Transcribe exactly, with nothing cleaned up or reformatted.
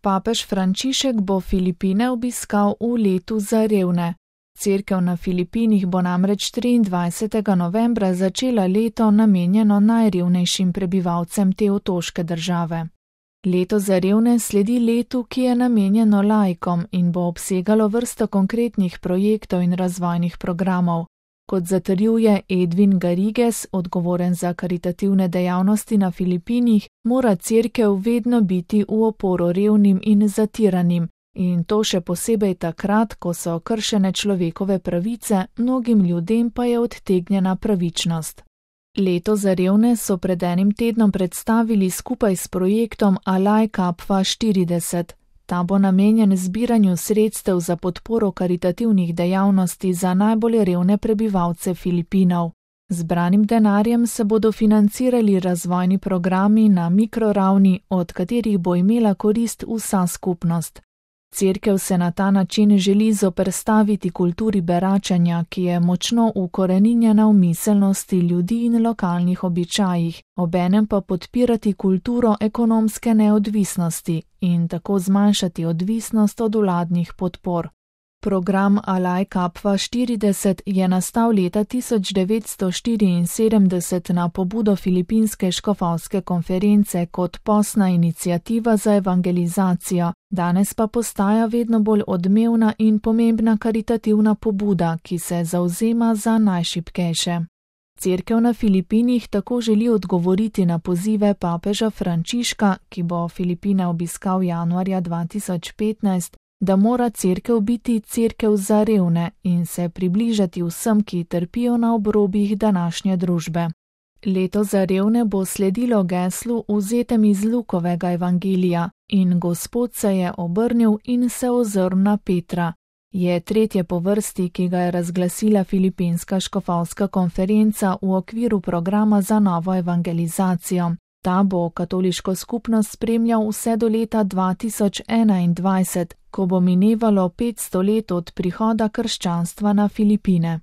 Papež Frančišek bo Filipine obiskal v letu za revne. Cerkev na Filipinih bo namreč triindvajsetega novembra začela leto namenjeno najrevnejšim prebivalcem te otoške države. Leto za revne sledi letu, ki je namenjeno laikom in bo obsegalo vrsto konkretnih projektov in razvojnih programov. Kot zatrjuje Edwin Garrigues, odgovoren za karitativne dejavnosti na Filipinih, mora cerkev vedno biti v oporo revnim in zatiranim, in to še posebej takrat, ko so kršene človekove pravice, mnogim ljudem pa je odtegnjena pravičnost. Leto za revne so pred enim tednom predstavili skupaj s projektom Alaj Kapva štirideset. Ta bo namenjen zbiranju sredstev za podporo karitativnih dejavnosti za najbolj revne prebivalce Filipinov. Zbranim denarjem se bodo financirali razvojni programi na mikroravni, od katerih bo imela korist vsa skupnost. Cerkev se na ta način želi zoperstaviti kulturi beračenja, ki je močno ukoreninjena v miselnosti ljudi in lokalnih običajih, obenem pa podpirati kulturo ekonomske neodvisnosti in tako zmanjšati odvisnost od vladnih podpor. Program Alaj Kapva štirideset je nastal leta tisoč devetsto štiriinsedemdeset na pobudo Filipinske škofovske konference kot posna iniciativa za evangelizacijo, danes pa postaja vedno bolj odmevna in pomembna karitativna pobuda, ki se zavzema za najšibkejše. Cerkev na Filipinih tako želi odgovoriti na pozive papeža Frančiška, ki bo Filipine obiskal januarja dva tisoč petnajst, da mora cerkev biti cerkev za revne in se približati vsem, ki trpijo na obrobjih današnje družbe. Leto za revne bo sledilo geslu vzetem iz Lukovega evangelija in Gospod se je obrnil in se ozrl na Petra. Je tretje po vrsti, ki ga je razglasila Filipinska škofovska konferenca v okviru programa za novo evangelizacijo. Ta bo katoliško skupnost spremljal vse do leta dva tisoč enaindvajset, ko bo minevalo petsto let od prihoda krščanstva na Filipine.